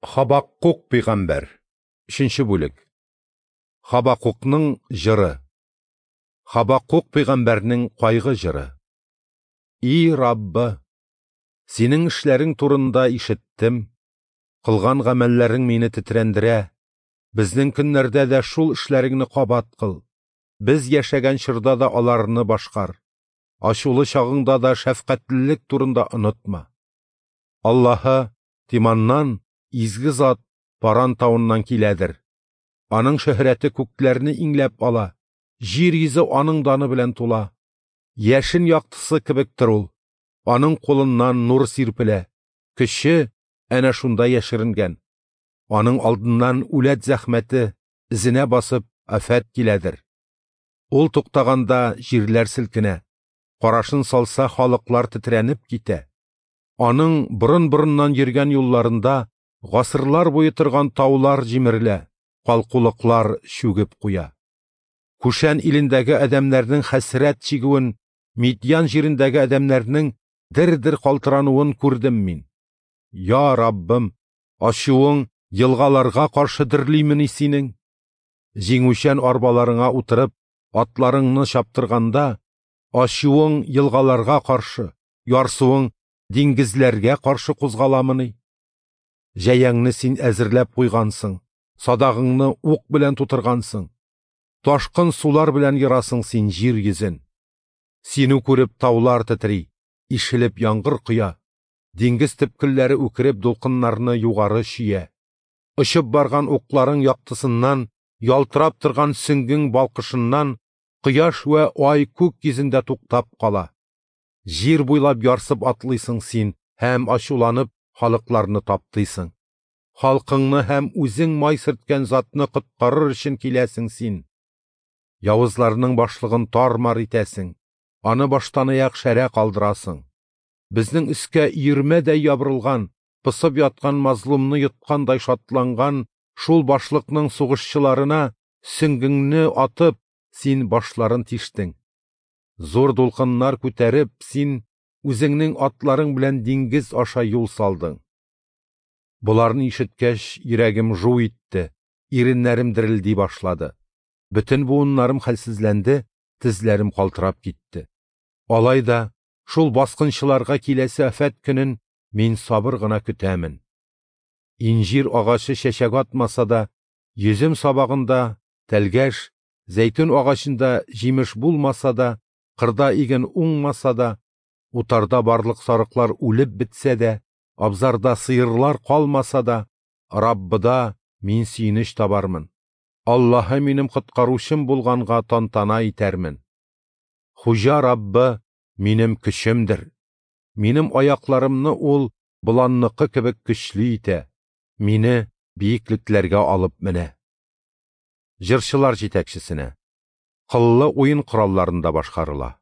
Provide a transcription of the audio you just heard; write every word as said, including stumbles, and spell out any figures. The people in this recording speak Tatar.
Хабаккук пәйгамбәр. Өченче бүлек. Хабаккукның җыры. Хабаккук пәйгамбәрнең кайгы җыры. И Раббы, синең эшләрең турында ишеттем. Кылган гамәлләрең мине тетрәндерә. Безнең көннәрдә дә шул эшләреңне кабат кыл. Без яшәгән чорда да аларны башкар. Ачулы чагыңда да шәфкатьлелек турында онытма. Аллаһы Тиманнан, изге зат Паран тавыннан киләдер. Аның шөһрәте күкләрне иңләп ала, җир йөзе аның даны белән тула. Яшен яктысы кебектер ул. Аның кулыннан нур сирпелә, көче әнә шунда яшеренгән. Аның алдыннан үләт зәхмәте, эзенә басып афәт киләдер. Ул туктаганда җирләр селкенә, карашын салса халыклар тетрәнеп китә. Аның борын-борыннан йөргән юлларында гасырлар буе торган таулар җимерелә, калкулыклар чүгеп куя. Күшән илендәге адәмнәрнең хәсрәт чигүен, Мидьян җирендәге адәмнәрнең дер-дер калтырануын күрдем мин. Я Раббым, ачуың елгаларга каршы дөрлимени синең? Җиңүчән арбаларыңа утырып, атларыңны чаптырганда, ачуың елгаларга каршы, ярсуың диңгезләргә каршы кузгаламыни? Җәяңне син әзерләп куйгансың, садагыңны ук белән тутыргансың. Ташкын сулар белән ярасың син җир йөзен. Сине күреп таулар тетри, ишелеп яңгыр коя, диңгез төпкелләре үкереп дулкыннарны югары чөя. Очып барган укларың яктысыннан, ялтырап торган сөңгең балкышыннан кояш вә ай күк йөзендә туктап кала. Җир буйлап ярсып атлыйсың син һәм ачуланып халыкларны таптыйсың. Халкыңны һәм үзең май сөрткән затны коткарыр өчен киләсең син. Явызларның башлыгын тар-мар итәсең, аны баштанаяк шәрә калдырасың. Безнең өскә өермәдәй ябырылган, пысып яткан мазлумны йоткандай шатланган шул башлыкның сугышчыларына сөңгеңне атып, син башларын тиштең. Зур дулкыннар күтәреп, син үзеңнең атларың белән диңгез аша юл салдың. Боларны ишеткәч, йөрәгем жу итте, иреннәрем дерелди башлады. Бөтен буыннарым хәлсезләнде, тезләрем калтырап китте. Алай да шул баскынчыларга киләсе афәт көнен мин сабыр гына көтәмен. Инҗир агачы чәчәк атмаса да, йөзем сабагында тәлгәш, зәйтүн агачында җимеш булмаса да, кырда иген уңмаса да, утарда барлык сарыклар үлеп бетсә дә, абзарда сыерлар калмаса да, Раббыда мин сөенеч табармын. Аллаһы минем коткаручым булганга тантана итәрмен. Хуҗа Раббы минем көчемдер. Минем аякларымны ул боланныкы кебек көчле итә, мине биеклекләргә алып менә. Җырчылар җитәкчесенә. Кыллы уен коралларында башкарыла.